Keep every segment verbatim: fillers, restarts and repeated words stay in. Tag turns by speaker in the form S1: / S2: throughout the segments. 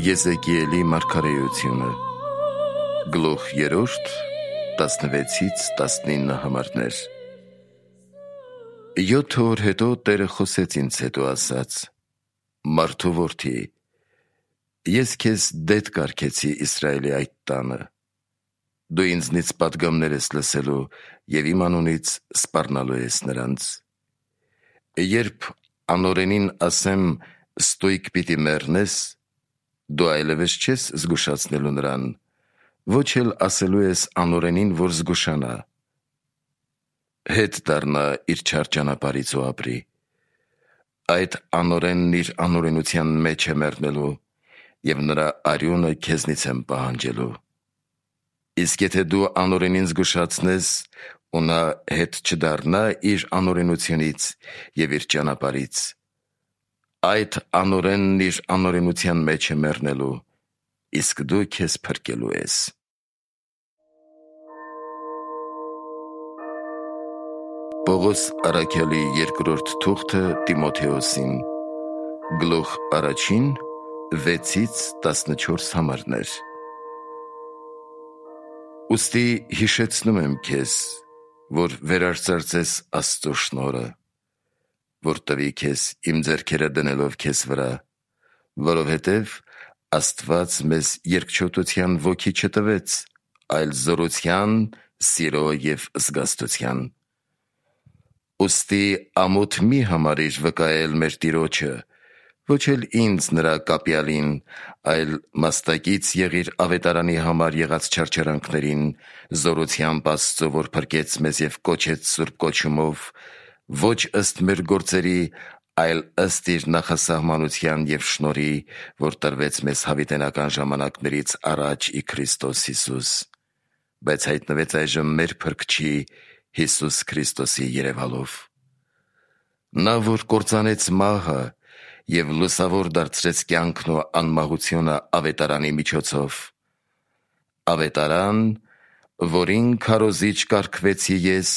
S1: Եզեկիելի մարգարեությունը Գլուխ երրորդ տասնվեցից տասնինը համարներ։ Յոթ օր հետո Տերը խոսեց ինձ հետո ասաց. «Մարդու որդի, ես քեզ դեդ կարգեցի Իսրայելի այդ տանը։ Դու ինձնից պատգամներ ես լսելու և իմ անունից սպառնալու ես նրանց։ Երբ անօրենին ասեմ ստույգ պիտի մեռնես, դու այլևս չես զգուշացնելու նրան, ոչ էլ ասելու ես անօրենին, որ զգուշանա։ Հետ դառնա իր չար ճանապարհից ու ապրի։ Այդ անօրենն իր անօրենության մեջ է մեռնելու, և նրա արյունը քեզնից եմ պահանջելու։ Իսկ եթե դու անօրենին զգուշացնես, ու նա հետ չդառնա իր անօրենությունից և իր ճանապարհից, այդ անօրենն իր անօրենության մեջ է մեռնելու, իսկ դու քեզ փրկելու ես»։ Պողոս առաքյալի երկրորդ թուղթը Տիմոթեոսին Գլուխ առաջին վեցից տասնչորս համարներ։ Ուստի հիշեցնում եմ քեզ, որ վերարծարծես Աստծո շնորհը, որ տվի քեզ իմ ձեռքերը դնելով քեզ վրա, որովհետև Աստված մեզ երկչոտության ոգի չտվեց, այլ զորության, սիրո և զգաստության։ Ուստի ամոթ մի համարիր վկայել մեր Տիրոջը, ոչ էլ ինձ նրա կապյալին, այլ մաստակից եղիր ավետարանի համար եղած չարչարանքներին, զորությամբ Աստծո, որ փրկեց մեզ և կոչեց սուրբ կոչումով, ոչ ըստ մեր գործերի, այլ ըստ իր նախասահմանության և շնորհի, որ տրվեց մեզ հավիտենական ժամանակներից առաջ ի Քրիստոս Հիսուս, բայց հայտնվեց այժմ մեր Փրկչի Հիսուս Քրիստոսի երևալով։ Նա, որ կործանեց մահը և լուսավոր դարձրեց կյանքն ու անմահությունը ավետարանի միջոցով, ավետարան, որին քարոզիչ կարգվեցի ես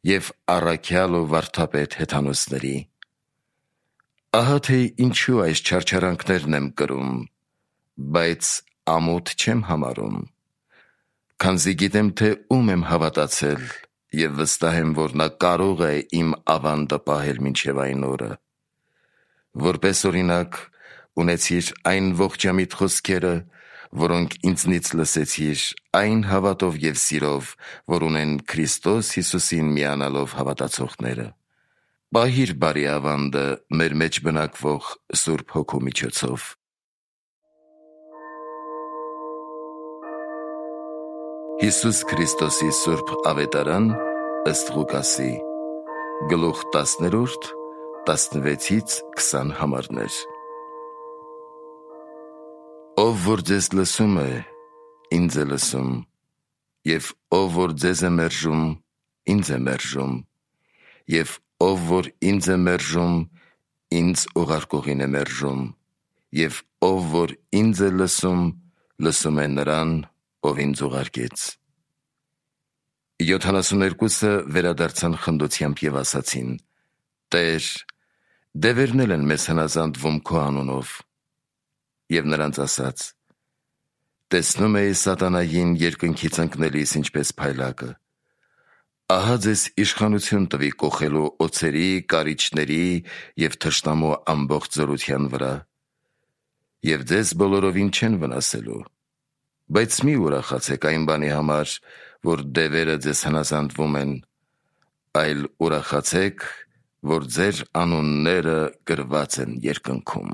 S1: և առաքյալ ու վարդապետ հեթանոսների։ Ահա թե ինչու այս չարչարանքներն եմ կրում, բայց ամոթ չեմ համարում, քանզի գիտեմ, թե ում եմ հավատացել, և վստահ եմ, որ նա կարող է իմ ավանդը պահել մինչև այն օրը։ Որպես օրինակ ունեցիր այն ողջամիտ խոսքերը, որոնք ինձնից լսեցիր, այն հավատով և սիրով, որ ունեն Քրիստոս Հիսուսին միանալով հավատացողները։ Պահիր բարի ավանդը մեր մեջ բնակվող Սուրբ Հոգու միջոցով։ Հիսուս Քրիստոսի Սուրբ Ավետարան ըստ Ղուկասի Գլուխ տասներորդ տասնվեցից քսան համարներ։ Ով որ ձեզ լսում է, ինձ է լսում, և ով որ ձեզ է մերժում, ինձ է մերժում, և ով որ ինձ է մերժում, ինձ ուղարկողին է մերժում, և ով որ ինձ է լսում, լսում է նրան, ով ինձ ուղարկեց։ Յոթանասուներկուսը վերադարձան խնդությամբ և ասացին. «Տե՛ր, դևերն են մեզ հնազանդվում քո անունով»։ Եվ նրանց ասաց. «Տեսնում էի սատանային երկնքից ընկնելիս ինչպես փայլակը։ Ահա ձեզ իշխանություն տվի կոխելու օձերի, կարիճների և թշնամու ամբողջ զորության վրա, և ձեզ բոլորովին չեն վնասելու։ Բայց մի ուրախացեք այն բանի համար, որ դևերը ձեզ հնազանդվում են, այլ ուրախացեք, որ ձեր անունները գրված են երկնքում»։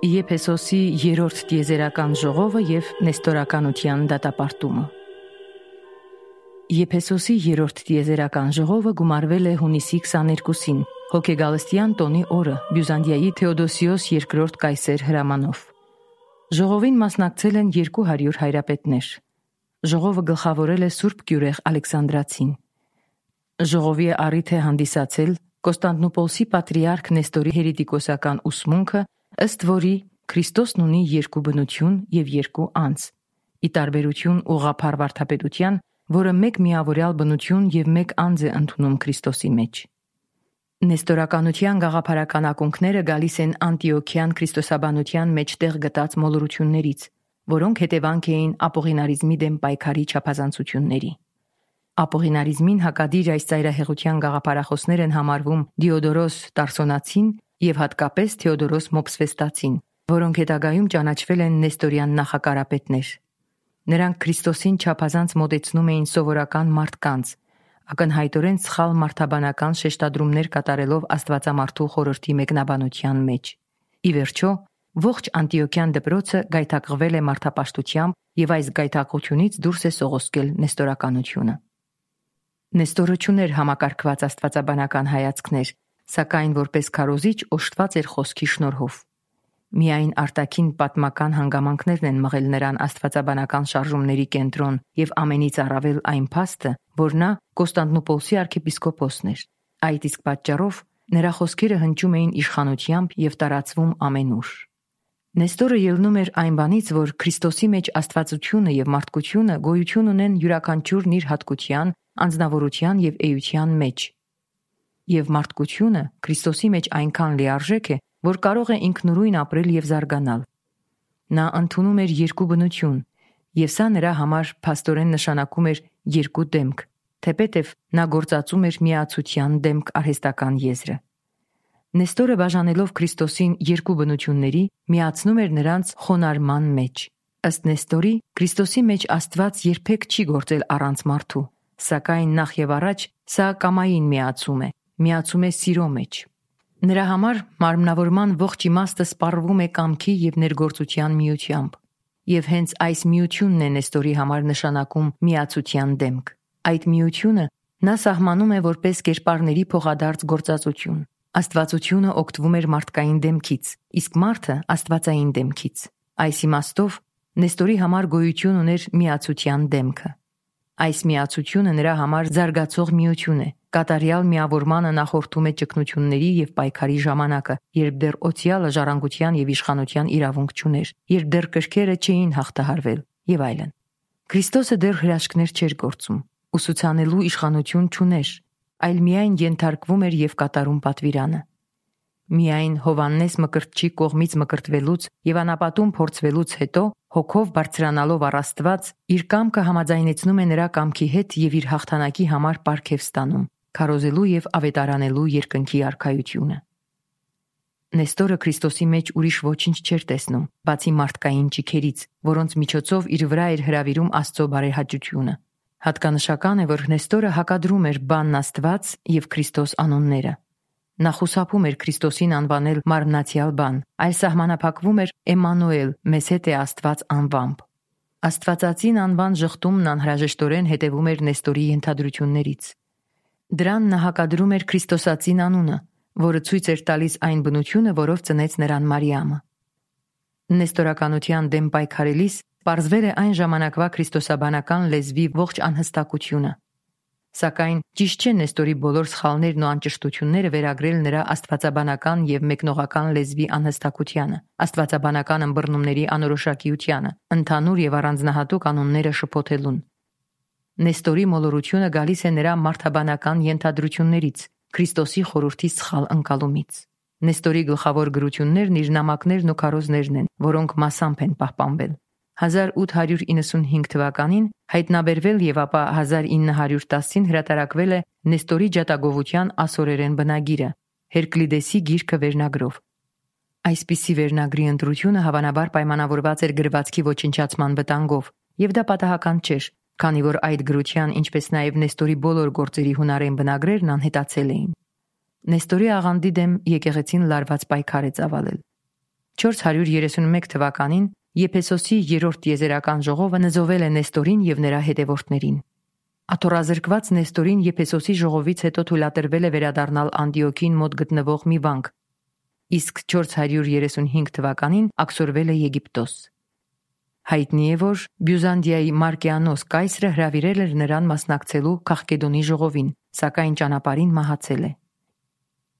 S2: Եփեսոսի երրորդ տիեզերական ժողովը և նեստորականության դատապարտումը։ Եփեսոսի երրորդ տիեզերական ժողովը գումարվել է հունիսի քսաներկուսին, հոգեգալստյան տոնի օրը, Բյուզանդիայի Թեոդոսիոս երկրորդ կայսեր հրամանով։ Ժողովին մասնակցել են երկու հարյուր հայրապետներ։ Ժողովը գլխավորել է Սուրբ Գյուրեղ Ալեքսանդրացին։ Ժողովի առիթ է հանդիսացել Կոստանդնուպոլսի պատրիարք Նեստորի հերետիկոսական ուսմունքը, ըստ որի Քրիստոսն ունի երկու բնություն եւ երկու անձ, ի տարբերություն ուղղափառ վարդապետության, որը մեկ միավորյալ բնություն եւ մեկ անձ է ընդունում Քրիստոսի մեջ։ Նեստորականության գաղափարական ակունքները գալիս են Անտիոքյան քրիստոսաբանության մեջ տեղ գտած մոլորություններից, որոնք հետևանք էին ապողինարիզմի դեմ պայքարի չափազանցությունների։ Ապողինարիզմին հակադիր այս ծայրահեղության գաղափարախոսներ են համարվում Դիոդորոս Տարսոնացին եւ հատկապես Թեոդորոս Մոփսվեստացին, որոնք հետագայում ճանաչվել են նեստորյան նախակարապետներ։ Նրանք Քրիստոսին չափազանց մոտեցնում էին սովորական մարդկանց, ակնհայտորեն սխալ մարդաբանական շեշտադրումներ կատարելով Աստվածամարդու խորհրդի մեկնաբանության մեջ։ Ի վերջո, ողջ Անտիոքյան դպրոցը գայթակղվել է մարդապաշտությամբ եւ այս գայթակղությունից դուրս է սողոսկել նեստորականությունը։ Նեստորը չուներ համակարգված աստվածաբանական հայացքներ, սակայն որպես քարոզիչ օժտված էր խոսքի շնորհով։ Միայն արտաքին պատմական հանգամանքներն են մղել նրան աստվածաբանական շարժումների կենտրոն եւ ամենից առավել այն փաստը, որ նա Կոստանդնուպոլսի arczepiskopos-ն էր։ Այդ իսկ պատճառով նրա խոսքերը հնչում էին իշխանությամբ եւ տարածվում ամենուր։ Նեստորը ելնում էր այն բանից, որ Քրիստոսի մեջ աստվածությունը եւ մարդկությունը գոյություն ունեն յուրաքանչյուրն իր հատկության, անձնավորության եւ էության մեջ։ Եվ մարդկությունը Քրիստոսի մեջ այնքան լիարժեք է, որ կարող է ինքնուրույն ապրել եւ զարգանալ։ Նա ընդունում էր երկու բնություն, եւ սա նրա համար փաստորեն նշանակում էր երկու դեմք, թեպետև նա գործածում էր միացության դեմք արհեստական եզրը։ Նեստորը բաժանելով Քրիստոսին երկու բնությունների, միացնում էր նրանց խոնարհման մեջ։ Ըստ Նեստորի, Քրիստոսի մեջ Աստված երբեք չի գործել առանց մարդու, սակայն նախ եւ առաջ սա կամային միացում է, միացում է սիրո մեջ։ Նրա համար մարմնավորման ողջ իմաստը սպառվում է կամքի եւ ներգործության միությամբ, եւ հենց այս միությունն է Նեստորի համար նշանակում միացության դեմք։ Այդ միությունը նա սահմանում է որպես կերպարների փոխադարձ գործածություն։ Աստվածությունը օգտվում էր մարդկային դեմքից, իսկ մարդը աստվածային դեմքից։ Այս իմաստով Նեստորի համար գոյություն ուներ միացության դեմքը։ Այս միացությունը նրա համար զարգացող միություն է, կատարյալ միավորմանը նախորդում է ճգնությունների եւ պայքարի ժամանակը, երբ դեռ օցիալը ժառանգության եւ իշխանության իրավունք չուներ, երբ դեռ կրքերը չէին հաղթահարվել եւ այլն։ Քրիստոսը դեռ հրաշքներ չէր գործում, ուսուցանելու իշխանություն չուներ, այլ միայն ենթարկվում էր եւ կատարում պատվիրանը։ Միայն Հովաննես Մկրտչի կողմից մկրտվելուց եւ անապատում փորձվելուց հետո հոգով բարձրանալով առ Աստված իր կամքը համաձայնեցնում է նրա կամքի հետ եւ իր հաղթանակի համար պարգև ստանում, քարոզելու եւ ավետարանելու երկնքի արքայությունը։ Նեստորը Քրիստոսի մեջ ուրիշ ոչինչ չէր տեսնում, բացի մարդկային ճիքերից, որոնց միջոցով իր վրա էր հրավիրում Աստծո բարեհաճությունը։ Հատկանշական է, որ Նեստորը հակադրում էր բանն Աստված եւ Քրիստոս անունները։ Նա խուսափում էր Քրիստոսին անվանել մարմնացյալ բան, այլ սահմանափակվում էր Էմմանուել, մեզ հետ է Աստված անվամբ։ Աստվածածին անվան ժխտումն անհրաժեշտորեն հետևում էր Նեստորի ենթադրություններից։ Դրան նա հակադրում էր Քրիստոսածին անունը, որը ցույց էր տալիս այն բնությունը, որով ծնեց նրան Մարիամը։ Նեստորականության դեմ պայքարելիս պարզվել է այն ժամանակվա քրիստոսաբանական լեզվի ողջ անհստակությունը։ Սակայն ճիշտ չէ Նեստորի բոլոր սխալներն ու անճշտությունները վերագրել նրա աստվածաբանական եւ մեկնողական լեզվի անհստակությանը, աստվածաբանական ըմբռնումների անորոշակիությանը, ընդհանուր եւ առանձնահատուկ անունները շփոթելուն։ Նեստորի մոլորությունը գալիս է նրա մարդաբանական ենթադրություններից, Քրիստոսի խորհրդի սխալ ընկալումից։ Նեստորի գլխավոր գրություններն իր նամակներն ու քարոզներն են, որոնք մասամբ են պահպանվել։ հազար ութ հարյուր իննսունհինգ թվականին հայտնաբերվել եւ ապա հազար ինը հարյուր տասին հրատարակվել է Նեստորի ջատագովության ասորերեն բնագիրը, Հերկլիդեսի գիրքը վերնագրով։ Այսպիսի վերնագրի ընտրությունը հավանաբար պայմանավորված էր գրվածքի ոչնչացման վտանգով, եւ դա պատահական չէր, քանի որ այդ գրության, ինչպես նաեւ Նեստորի բոլոր գործերի հունարեն բնագրերն անհետացել էին։ Նեստորի աղանդի դեմ եկեղեցին լարված պայքար է ծավալել։ չորս հարյուր երեսունմեկ թվականին Եփեսոսի երրորդ եզերական ժողովը նզովել է Նեստորին եւ նրա հետևորդներին։ Աթոռազրկված Նեստորին Եփեսոսի ժողովից հետո թույլատրվել է վերադառնալ Անդիոքին մոտ գտնվող մի վանք, իսկ չորս հարյուր երեսունհինգ թվականին աքսորվել է Եգիպտոս։ Հայտնի է, որ Բյուզանդիայի Մարկեանոս կայսրը հրավիրել էր նրան մասնակցելու Քաղկեդոնի ժողովին, սակայն ճանապարհին մահացել է։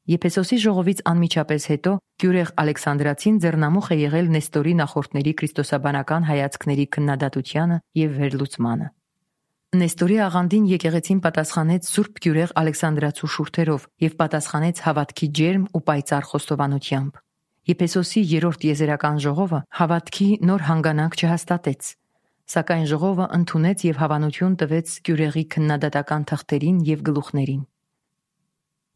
S2: Եփեսոսի ժողովից անմիջապես հետո Գյուրեղ Ալեքսանդրացին ձեռնամուխ է եղել Նեստորի նախորդների քրիստոսաբանական հայացքների քննադատությանը եւ վերլուծմանը։ Նեստորի աղանդին եկեղեցին պատասխանեց Սուրբ Գյուրեղ Ալեքսանդրացու շուրթերով եւ պատասխանեց հավատքի ջերմ ու պայծառ խոստովանությամբ։ Եփեսոսի երրորդ եզերական ժողովը հավատքի նոր հանգանակ չհաստատեց, սակայն ժողովը ընդունեց եւ հավանություն տվեց Գյուրեղի քննադատական թղթերին եւ գլուխներին։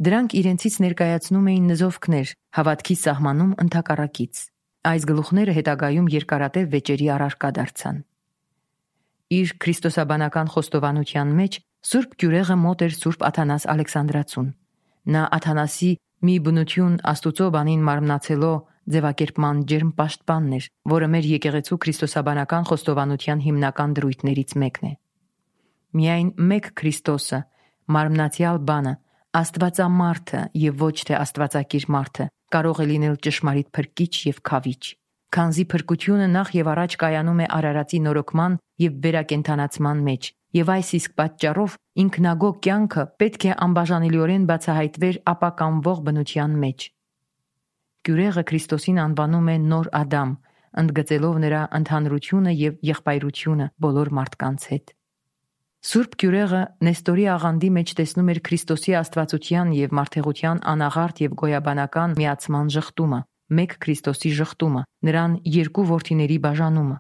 S2: Դրանք իրենցից ներկայացնում էին նզովքներ հավատքի սահմանում ընդհակառակից։ Այս գլուխները հետագայում երկարատև վեճերի առարկա դարձան։ Իր քրիստոսաբանական խոստովանության մեջ Սուրբ Գյուրեղը մոտ էր Սուրբ Աթանաս Ալեքսանդրացուն։ Նա Աթանասի մի բնություն Աստուծո բանին մարմնացելով ձևակերպման ջերմ պաշտպանն էր, որը մեր եկեղեցու քրիստոսաբանական խոստովանության հիմնական դրույթներից մեկն է։ Միայն մեկ Քրիստոսը, մարմնացյալ բանը, Աստվածամարդը եւ ոչ թե Աստվածակիր մարդը կարող է լինել ճշմարիտ փրկիչ եւ քավիչ, քանզի փրկությունը նախ եւ առաջ կայանում է Արարածի նորոգման եւ վերակենդանացման մեջ, եւ այս իսկ պատճառով ինքնագո կյանքը պետք է անբաժանելիորեն բացահայտվեր ապականվող բնության մեջ։ Գյուրեղը Քրիստոսին անվանում է Նոր Ադամ, ընդգծելով նրա ընդհանրությունը եւ եղբայրությունը բոլոր մարդկանց հետ։ Սուրբ Գյուրեղը Նեստորի աղանդի մեջ տեսնում էր Քրիստոսի աստվածության եւ մարդեղության անաղարտ եւ գոյաբանական միացման ժխտումը, մեկ Քրիստոսի ժխտումը, նրան երկու որդիների բաժանումը։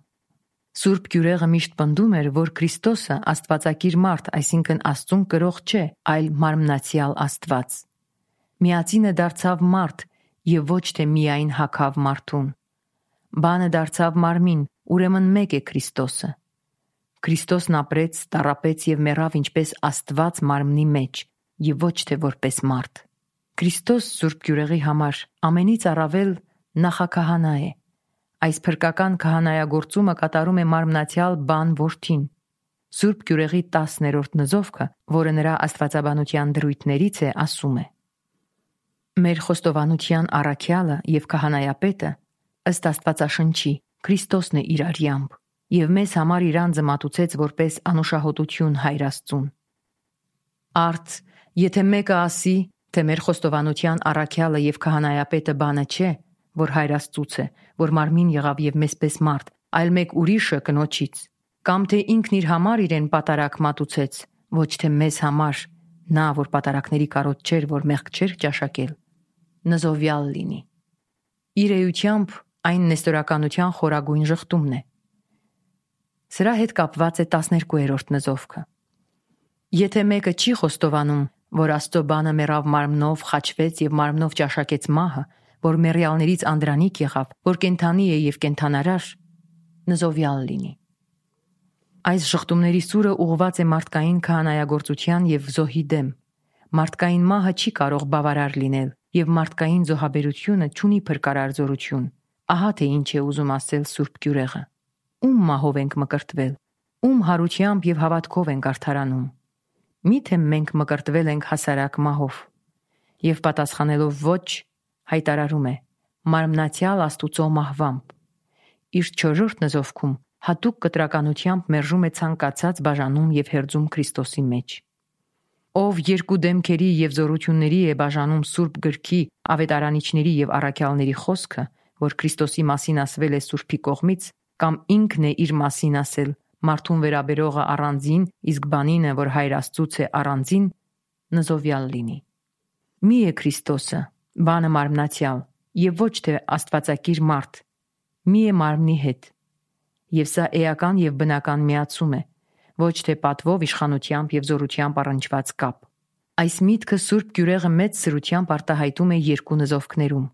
S2: Սուրբ Գյուրեղը միշտ պնդում էր, որ Քրիստոսը աստվածակիր մարդ, այսինքն Աստծուն կրող չէ, այլ մարմնացյալ Աստված։ Միածինը դարձավ մարդ եւ ոչ թե միայն հագավ մարդուն։ Բանը դարձավ մարմին, ուրեմն մեկ է Քրիստոսը։ Քրիստոսն ապրեց, տառապեց եւ մեռավ ինչպես Աստված մարմնի մեջ եւ ոչ թե որպես մարդ։ Քրիստոս Սուրբ Գյուրեղի համար ամենից առավել նախաքահանա է։ Այս փրկական քահանայագործումը կատարում է մարմնացյալ բան որդին։ Սուրբ Գյուրեղի տասներորդ նզովքը, որը նրա աստվածաբանության դրույթներից է, ասում է. Մեր խոստովանության առաքյալը եւ քահանայապետը ըստ Աստվածաշնչի Քրիստոսն է իր արյամբ, եւ մեզ համար իր անձը մատուցեց որպես անուշահոտություն Հայր Աստծուն։ Արդ, եթե մեկը ասի, թե մեր խոստովանության առաքյալը եւ քահանայապետը բանը չէ, որ Հայր Աստծուց է, որ մարմին եղավ եւ մեզպես մարդ, այլ մեկ ուրիշը կնոջից, կամ թե ինքն իր համար իրեն պատարակ մատուցեց, ոչ թե մեզ համար, նա, որ պատարակների կարոտ չէր, որ մեղք չէր ճաշակել, նզովյալ լինի։ Իր էությամբ այն նեստորականության խորագույն ժխտումն է։ Սրա հետ կապված է տասներկուերորդ նզովքը։ Եթե մեկը չի խոստովանում, որ Աստծո բանը մեռավ մարմնով, խաչվեց եւ մարմնով ճաշակեց մահը, որ մեռյալներից անդրանիկ եղավ, որ կենթանի է եւ կենթանարար, նզովյալ լինի։ Այս ժխտումների սուրը ուղղված է մարդկային քահանայագործության եւ զոհի դեմ։ Մարդկային մահը չի կարող բավարար լինել եւ մարդկային զոհաբերությունը չունի փրկարար զորություն։ Ահա թե ինչ է ուզում ասել Սուրբ Գյուրեղը։ Ում մահով ենք մկրտվել, ում հարությամբ եւ հավատքով ենք արդարանում։ Միթե մենք մկրտվել ենք հասարակ մահով։ Եվ պատասխանելով ոչ, հայտարարում է մարմնացյալ Աստուծո մահվամբ։ Իր չորրորդ նզովքում հատուկ կտրականությամբ մերժում է ցանկացած բաժանում եւ հերձում Քրիստոսի մեջ։ Ով երկու դեմքերի եւ զորությունների է բաժանում Սուրբ գրքի, ավետարանիչների եւ առաքյալների խոսքը, որ Քրիստոսի մասին ասվել է Սուրբի կողմից, կամ ինքն է իր մասին ասել, մարդուն վերաբերողը առանձին, իսկ բանինը, որ Հայր Աստծուց է առանձին, նզովյալ լինի։ Մի է Քրիստոսը, բանը մարմնացյալ, եւ ոչ թե աստվածակիր մարդ, մի է մարմնի հետ։ Եվ սա էական եւ բնական միացում է, ոչ թե պատվով, իշխանությամբ եւ զորությամբ առնչված կապ։ Այս միտքը Սուրբ Գյուրեղը մեծ սրությամբ արտահայտում է երկու նզովքներում։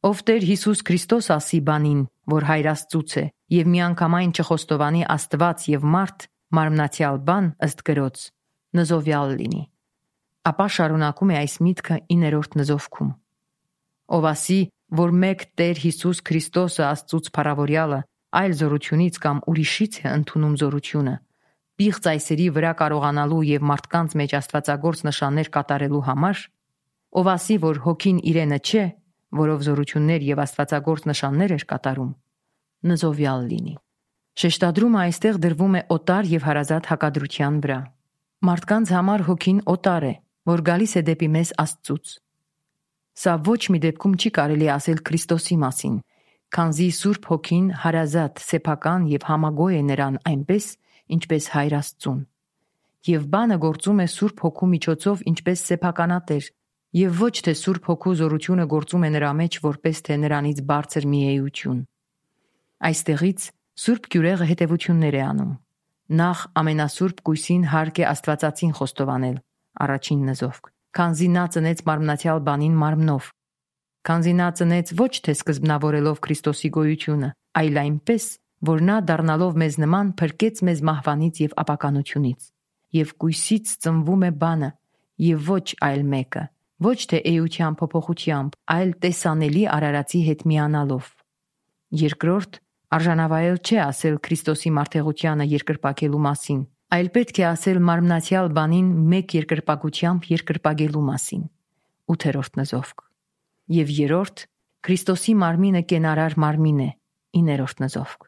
S2: Ով Տեր Հիսուս Քրիստոս ասի բանին, որ Հայր Աստծուց է, եւ միանգամայն չխոստովանի Աստված եւ մարդ, մարմնացյալ բան ըստ գրոց, նզովյալ լինի։ Ապա շարունակում է այս միտքը իններորդ նզովքում։ Ով ասի, որ մեկ Տեր Հիսուս Քրիստոսը Աստծուց փառավորյալը այլ զորությունից կամ ուրիշից է ընդունում զորությունը, պիղծ այսերի վրա կարողանալու եւ մարդկանց մեջ աստվածագործ նշաններ կատարելու համար, ով ասի, որ հոգին իրենը չէ, որով զորություններ եւ աստվածագործ նշաններ էր կատարում, նզովյալ լինի։ Շեշտադրումը այստեղ դրվում է օտար եւ հարազատ հակադրության վրա։ Մարդկանց համար հոգին օտար է, որ գալիս է դեպի մեզ Աստծուց։ Սա ոչ մի դեպքում չի կարելի ասել Քրիստոսի մասին, քանզի Սուրբ Հոգին հարազատ, սեփական եւ համագոյ է նրան այնպես, ինչպես Հայր Աստծուն։ Եվ բանը գործում է Սուրբ Հոգու միջոցով ինչպես սեփականատեր, եւ ոչ թե Սուրբ Հոգու զորությունը գործում է նրա մեջ որպես թե նրանից բարձր մի էություն։ Այստեղից Սուրբ Գյուրեղը հետևություններ է անում։ Նախ ամենասուրբ Գույսին հարկ է Աստվածածին խոստովանել, առաջին նզովք, քանզի նա ծնեց մարմնացյալ բանին մարմնով, քանզի նա ծնեց ոչ թե սկզբնավորելով Քրիստոսի գոյությունը, այլ այնպես, որ նա դառնալով մեզ նման փրկեց մեզ մահվանից եւ ապականությունից, եւ Գույսից ծնվում է բանը, եւ ոչ այլ մեկը, ոչ թե էության փոփոխությամբ, այլ տեսանելի արարածի հետ միանալով։ Երկրորդ, արժանավայել չէ ասել Քրիստոսի մարդեղությանը երկրպագելու մասին, այլ պետք է ասել մարմնացյալ բանին մեկ երկրպագությամբ երկրպագելու մասին։ ութերորդ նզովք։ Եվ երրորդ, Քրիստոսի մարմինը կենարար մարմին է, իներորդ նզովք։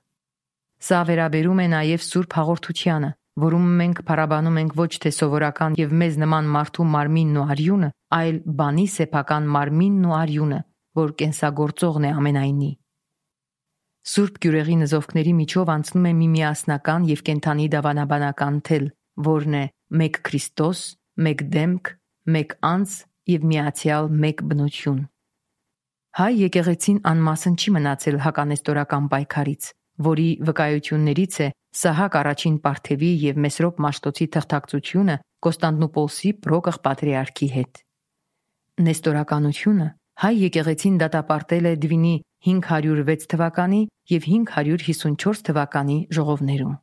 S2: Սա վերաբերում է նաև Սուրբ Հաղորդությանը, որում մենք փառաբանում ենք ոչ թե սովորական եւ մեզ նման մարդու մարմինն ու արյունը, այլ բանի սեփական մարմինն ու արյունը, որ կենսագործողն է ամենայնի։ Սուրբ Գյուրեղի նզովքների միջով անցնում է մի միասնական եւ կենթանի դավանաբանական թել, որն է մեկ Քրիստոս, մեկ դեմք, մեկ անձ եւ միացյալ մեկ բնություն։ Հայ եկեղեցին անմասն չի մնացել հականեստորական պայքարից, որի վկայություններից է Սահակ առաջին Պարթևի եւ Մեսրոպ Մաշտոցի թղթակցությունը Կոստանդնուպոլսի Պրոկղ պատրիարքի հետ։ Նեստորականությունը հայ եկեղեցին դատապարտել է Դվինի հինգ հարյուր վեց թվականի եւ հինգ հարյուր հիսունչորս թվականի ժողովներում։